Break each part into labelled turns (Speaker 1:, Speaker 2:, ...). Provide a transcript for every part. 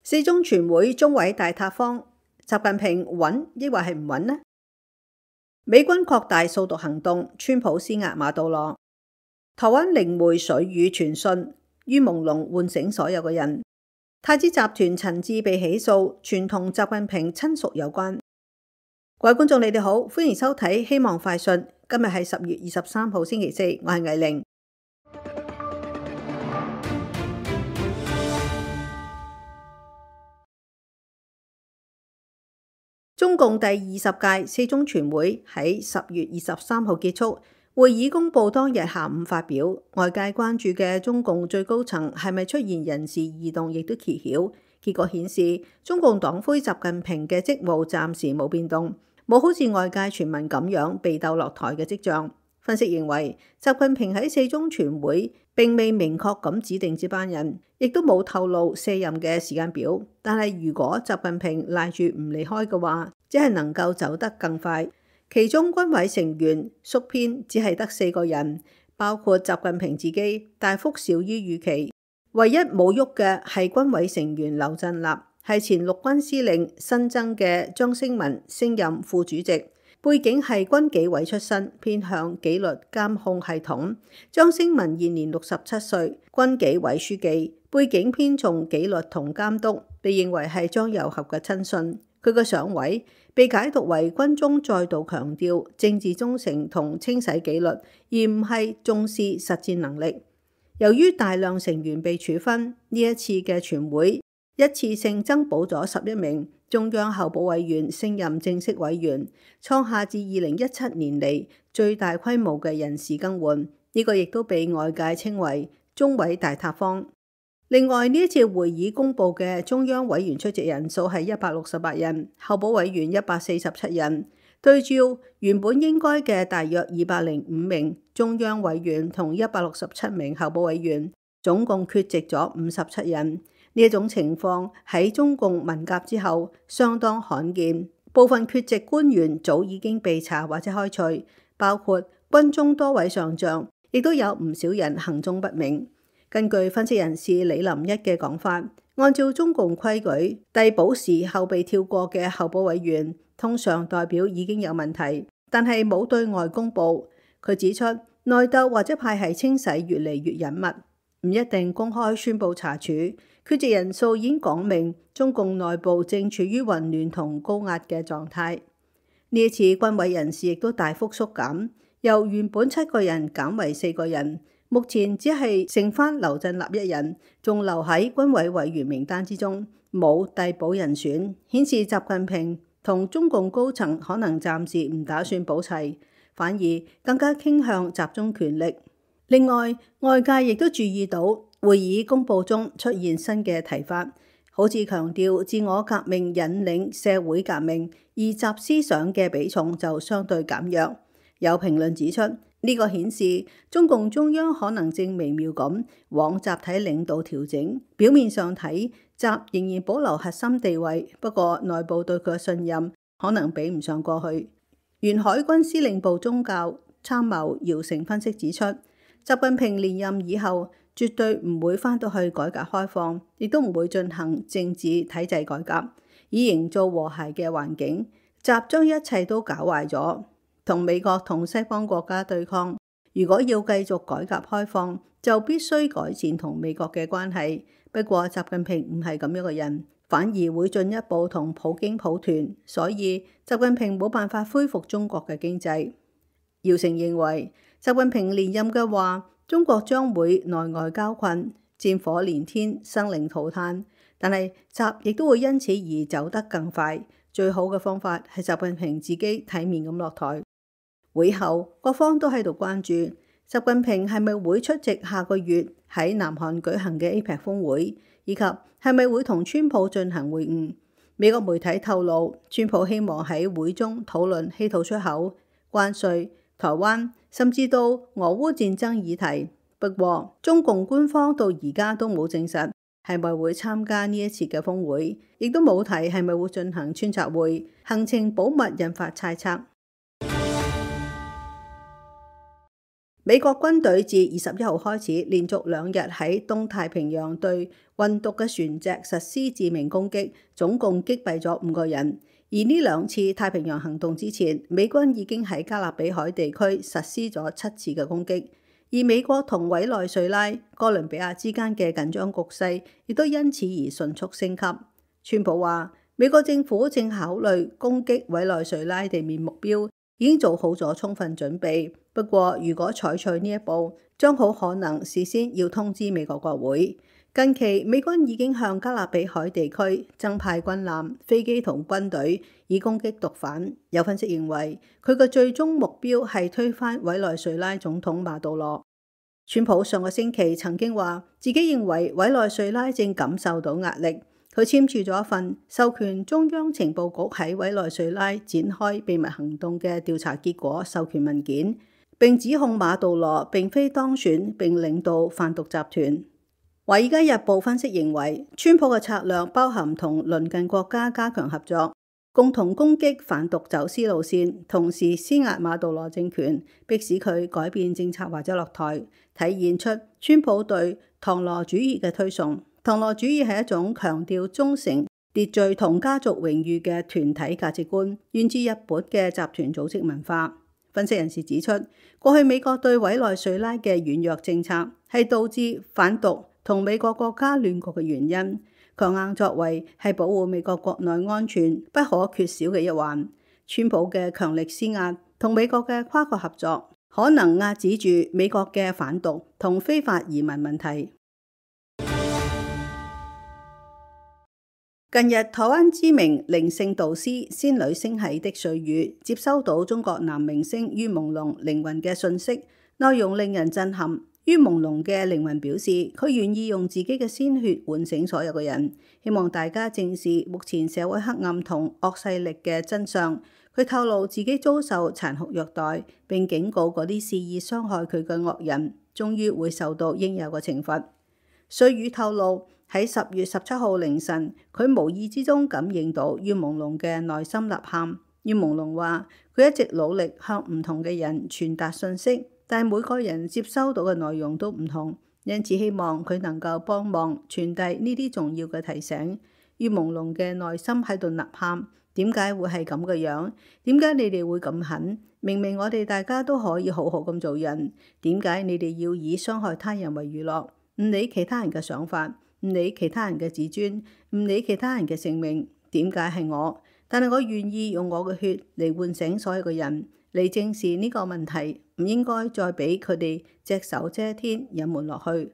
Speaker 1: 四中全會中委大塌方，習近平穩抑或係唔穩呢？美軍擴大掃毒行動，川普施壓馬杜羅。台灣靈媒水語傳訊，於朦朧喚醒所有嘅人。太子集團陳志被起訴，傳同習近平親屬有關。各位觀眾，你哋好，歡迎收睇希望快訊。今日係10月23號星期四，我係魏玲。中共第20屆四中全會喺10月23號結束，會議公佈當日下午發表。外界關注嘅中共最高層係咪出現人事異動，亦都揭曉。結果顯示，中共黨魁習近平嘅職務暫時冇變動，冇好似外界傳聞咁樣被鬥落台嘅跡象。分析認為，習近平喺四中全會並未明確咁指定接班人，亦都冇透露卸任嘅時間表。但係如果習近平賴住唔離開嘅話，只係能夠走得更快。其中軍委成員縮編只係得4個人，包括習近平自己，大幅少於預期。唯一冇喐嘅係軍委成員劉振立，係前陸軍司令新增嘅張升文升任副主席。背景係軍紀委出身，偏向紀律監控系統。張升文現年67歲，軍紀委書記，背景偏重紀律同監督，被認為係張又俠嘅親信。佢嘅上位被解讀為軍中再度強調政治忠誠同清洗紀律，而唔係重視實戰能力。由於大量成員被處分，呢一次嘅全會一次性增補咗11名中央候補委員升任正式委員，創下自2017年嚟最大規模嘅人事更換。呢個亦都被外界稱為中委大塌方。另外，呢一次會議公佈嘅中央委員出席人數係168人，候補委員147人。對照原本應該嘅大約205名中央委員同167名候補委員，總共缺席咗57人。呢一種情況喺中共文革之後相當罕見，部分缺席官員早已經被查或者開除，包括軍中多位上將，亦都有唔少人行蹤不明。根據分析人士李林一嘅講法，按照中共規矩，遞補時候被跳過嘅候補委員，通常代表已經有問題，但係冇對外公佈。佢指出，內鬥或者派系清洗越嚟越隱密，唔一定公開宣佈查處。缺席人數已經講明，中共內部正處於混亂同高壓嘅狀態。呢一次軍委人事亦都大幅縮減，由原本7個人減為4個人，目前只係剩返劉振立一人，仲留喺軍委委員名單之中，冇遞補人選，顯示習近平同中共高層可能暫時唔打算補齊，反而更加傾向集中權力。另外，外界亦都注意到會議公佈中出現新嘅提法，好似強調自我革命引領社會革命，而習思想嘅比重就相對減弱。有評論指出，呢個顯示中共中央可能正微妙咁往集體領導調整。表面上睇，習仍然保留核心地位，不過內部對佢嘅信任可能比唔上過去。原海軍司令部宗教參謀姚成分析指出，習近平連任以後絕對唔會返到去改革開放，亦都唔會進行政治體制改革，以營造和諧嘅環境。習將一切都搞壞咗，同美國同西方國家對抗。如果要繼續改革開放，就必須改善同美國嘅關係。不過習近平唔係咁樣嘅人，反而會進一步同普京抱團，所以習近平冇辦法恢復中國嘅經濟。姚成認為，習近平連任嘅話，中國將會內外交困，戰火連天，生靈塗炭。但係習亦都會因此而走得更快。最好嘅方法係習近平自己體面咁落台。會後，各方都喺度關注習近平係咪會出席下個月喺南韓舉行嘅 APEC 峰會，以及係咪會同川普進行會晤。美國媒體透露，川普希望喺會中討論稀土出口、關稅、台灣，甚至到俄烏戰爭議題。不過，中共官方到而家都冇證實係咪會參加呢一次嘅峰會，亦都冇提係咪會進行穿插會，行程保密引發猜測。美國軍隊自21號開始，連續2日喺東太平洋對運毒嘅船隻實施致命攻擊，總共擊斃咗5個人。而呢2次太平洋行動之前，美軍已經喺加勒比海地區實施咗7次嘅攻擊。而美國同委內瑞拉、哥倫比亞之間嘅緊張局勢亦都因此而迅速升級。川普話，美國政府正考慮攻擊委內瑞拉地面目標，已經做好咗充分準備。不過，如果採取呢一步，將好可能事先要通知美國國會。近期，美軍已經向加勒比海地區增派軍艦、飛機同軍隊，以攻擊毒販。有分析認為，佢嘅最終目標係推翻委內瑞拉總統馬杜羅。川普上個星期曾經話，自己認為委內瑞拉正感受到壓力。佢簽署咗一份授權中央情報局喺委內瑞拉展開秘密行動嘅調查結果授權文件，並指控馬杜羅並非當選並領導販毒集團。華爾街日報分析認為，川普嘅策略包含同鄰近國家加強合作，共同攻擊販毒走私路線，同時施壓馬杜羅政權，迫使佢改變政策或者落台，體現出川普對唐羅主義嘅推崇。唐羅主義係一種強調忠誠、秩序同家族榮譽嘅團體價值觀，源自日本嘅集團組織文化。分析人士指出，過去美國對委內瑞拉嘅軟弱政策係導致販毒同美國國家亂局嘅原因。強硬作為係保護美國國內安全不可缺少嘅一環。川普嘅強力施壓同美國嘅跨國合作，可能壓止住美國嘅販毒同非法移民問題。近日，台灣知名靈性導師仙女星系的絮語接收到中國男明星于朦朧靈魂嘅訊息，內容令人震撼。于朦朧嘅靈魂表示，佢願意用自己嘅鮮血喚醒所有嘅人，希望大家正視目前社會黑暗同惡勢力嘅真相。佢透露自己遭受殘酷虐待，並警告嗰啲肆意傷害佢嘅惡人，終於會受到應有嘅懲罰。絮語透露，喺10月17號凌晨，佢無意之中感應到于朦朧嘅內心吶喊。于朦朧話，佢一直努力向唔同嘅人傳達訊息，但每個人接收到嘅內容都唔同，因此希望佢能夠幫忙傳遞呢啲重要嘅提醒。于朦朧嘅內心喺度吶喊，點解會係咁嘅樣？點解你哋會咁狠？明明我哋大家都可以好好咁做人，點解你哋要以傷害他人為娛樂？唔理其他人嘅想法，唔理其他人嘅自尊，唔理其他人嘅性命，點解係我？但係我願意用我嘅血嚟喚醒所有嘅人，嚟正視呢個問題，唔應該再俾佢哋隻手遮天隱瞞落去。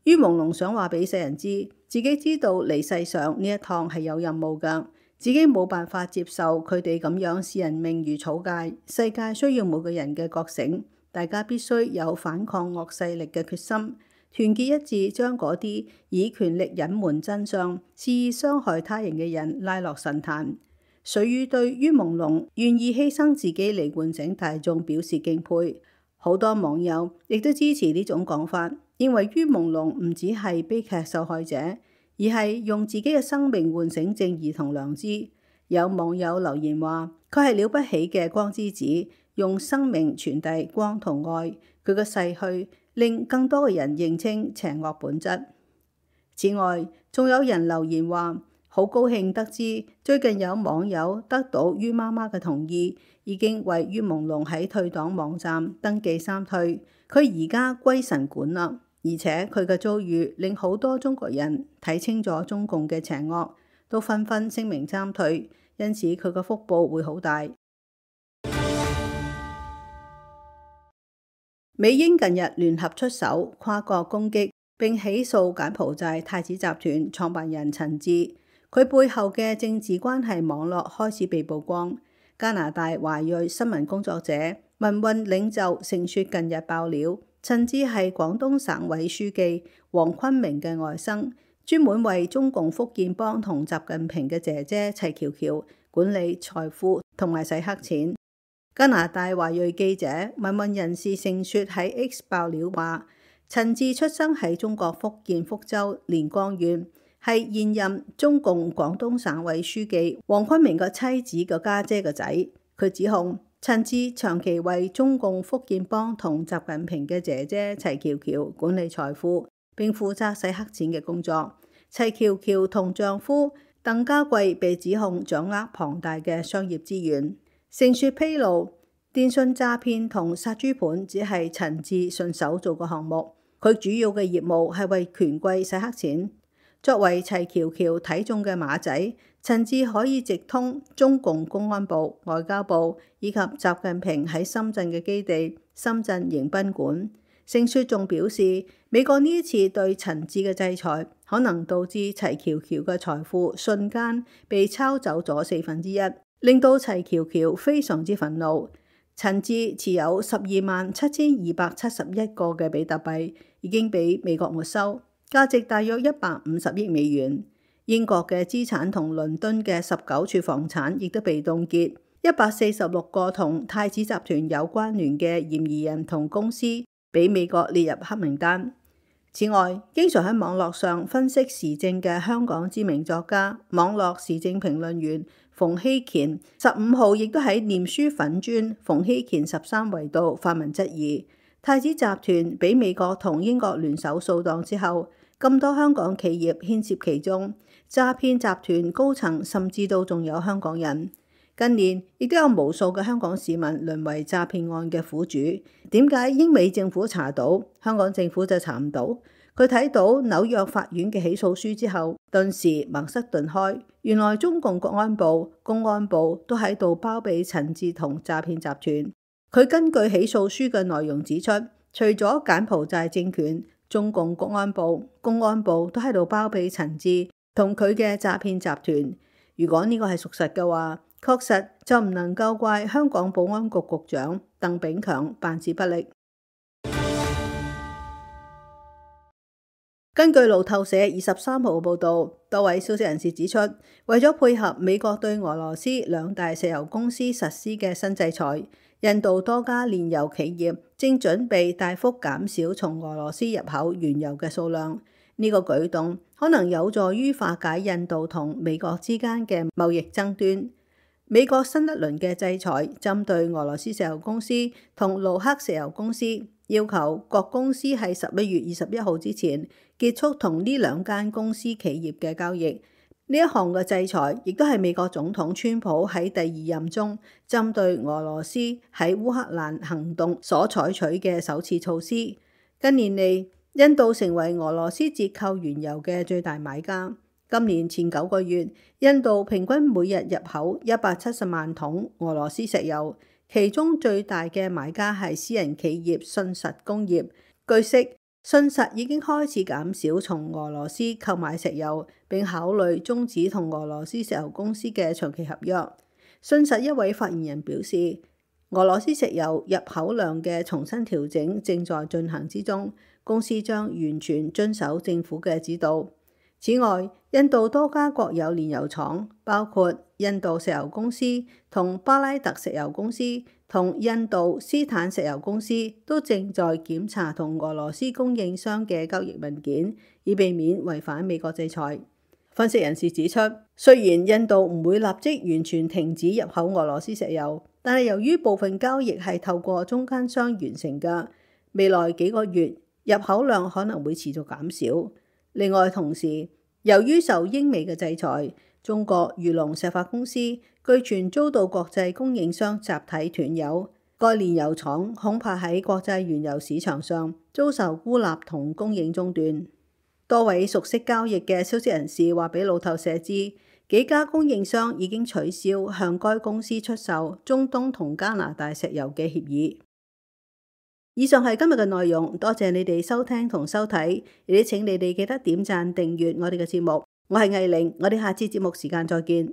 Speaker 1: 于朦朧想話俾世人知，自己知道嚟世上呢一趟係有任務㗎，自己冇辦法接受佢哋咁樣視人命如草芥。世界需要每個人嘅覺醒，大家必須有反抗惡勢力嘅決心。團結一致，將嗰啲以權力隱瞞真相、肆意傷害他人嘅人拉落神壇。絮語對于朦朧願意犧牲自己嚟喚醒大眾表示敬佩。好多網友亦都支持呢種講法，認為于朦朧唔只係悲劇受害者，而係用自己嘅生命喚醒正義同良知。有網友留言話，佢係了不起嘅光之子，用生命傳遞光同愛。佢嘅逝去令更多嘅人認清邪惡本質。此外，仲有人留言話，好高興得知最近有網友得到于媽媽嘅同意，已經為于朦朧喺退黨網站登記三退，佢而家歸神管啦。而且佢嘅遭遇令好多中國人睇清咗中共嘅邪惡，都紛紛聲明參退，因此佢嘅福報會好大。美英近日聯合出手跨國攻擊並起訴柬埔寨太子集團創辦人陳志，佢背後嘅政治關係網絡開始被曝光。加拿大華裔新聞工作者、民運領袖盛雪近日爆料，陳志係廣東省委書記黃坤明嘅外甥，專門為中共福建幫同習近平嘅姐姐齊喬喬管理財富同埋洗黑錢。加拿大華裔記者、民運人士盛雪喺 X 爆料話，陳志出生喺中國福建福州連江縣，係現任中共廣東省委書記黃坤明個妻子個家姐個仔。佢指控陳志長期為中共福建幫同習近平嘅姐姐齊翹翹管理財富，並負責洗黑錢嘅工作。齊翹翹同丈夫鄧家貴被指控掌握龐大嘅商業資源。盛說披露，電信詐騙同殺豬盤只係陳志順手做個項目，佢主要嘅業務係為權貴洗黑錢。作為齊翹翹睇中嘅馬仔，陳志可以直通中共公安部、外交部以及習近平喺深圳嘅基地深圳迎賓館。盛說仲表示，美國呢一次對陳志嘅制裁，可能導致齊翹翹嘅財富瞬間被抄走咗1/4，令到齊翹翹非常之憤怒。陳志持有127271個嘅比特幣，已經俾美國沒收，價值大約150億美元。英國嘅資產同倫敦嘅19處房產亦都被凍結，146個同太子集團有關聯嘅嫌疑人同公司俾美國列入黑名單。此外，經常喺網絡上分析時政嘅香港知名作家、網絡時政評論員馮睎乾15號亦都喺臉書粉專馮睎乾13維度發文質疑，太子集團俾美國同英國聯手掃蕩之後，咁多香港企業牽涉其中，詐騙集團高層甚至都仲有香港人。近年亦都有無數嘅香港市民淪為詐騙案嘅苦主。點解英美政府查到，香港政府就查唔到？佢睇到紐約法院嘅起訴書之後，頓時茅塞頓開。原來中共國安部、公安部都喺度包庇陳志同詐騙集團。佢根據起訴書嘅內容指出，除咗柬埔寨政權，中共國安部、公安部都喺度包庇陳志同佢嘅詐騙集團。如果呢個係屬實嘅話，確實就唔能夠怪香港保安局局長鄧炳強辦事不力。根據路透社23號報導，多位消息人士指出，為咗配合美國對俄羅斯2大石油公司實施嘅新制裁，印度多家煉油企業正準備大幅減少從俄羅斯入口原油嘅數量。呢個舉動可能有助於化解印度同美國之間嘅貿易爭端。美國新一輪嘅制裁針對俄羅斯石油公司同盧克石油公司，要求各公司喺11月21號之前結束同呢2間公司企業嘅交易。呢一項嘅制裁亦都係美國總統川普喺第2任中針對俄羅斯喺烏克蘭行動所採取嘅首次措施。近年嚟，印度成為俄羅斯折扣原油嘅最大買家。今年前9個月，印度平均每日入口170萬桶俄羅斯石油，其中最大嘅買家係私人企業信實工業。據悉，信實已經開始減少從俄羅斯購買石油，並考慮終止同俄羅斯石油公司嘅長期合約。信實一位發言人表示，俄羅斯石油入口量嘅重新調整正在進行之中，公司將完全遵守政府嘅指導。此外，印度多家國有煉油廠，包括印度石油公司同巴拉特石油公司同印度斯坦石油公司，都正在檢查同俄羅斯供應商嘅交易文件，以避免違反美國制裁。分析人士指出，雖然印度唔會立即完全停止入口俄羅斯石油，但係由於部分交易係透過中間商完成嘅，未來幾個月入口量可能會持續減少。另外，同時由於受英美嘅制裁，中國裕隆石化公司據傳遭到國際供應商集體斷油，該煉油廠恐怕喺國際原油市場上遭受孤立同供應中斷。多位熟悉交易嘅消息人士話俾路透社知，幾家供應商已經取消向該公司出售中東同加拿大石油嘅協議。以上係今日嘅內容，多謝你哋收聽同收睇，亦都請你哋記得點讚訂閱我哋嘅節目。我係藝玲，我哋下次節目時間再見。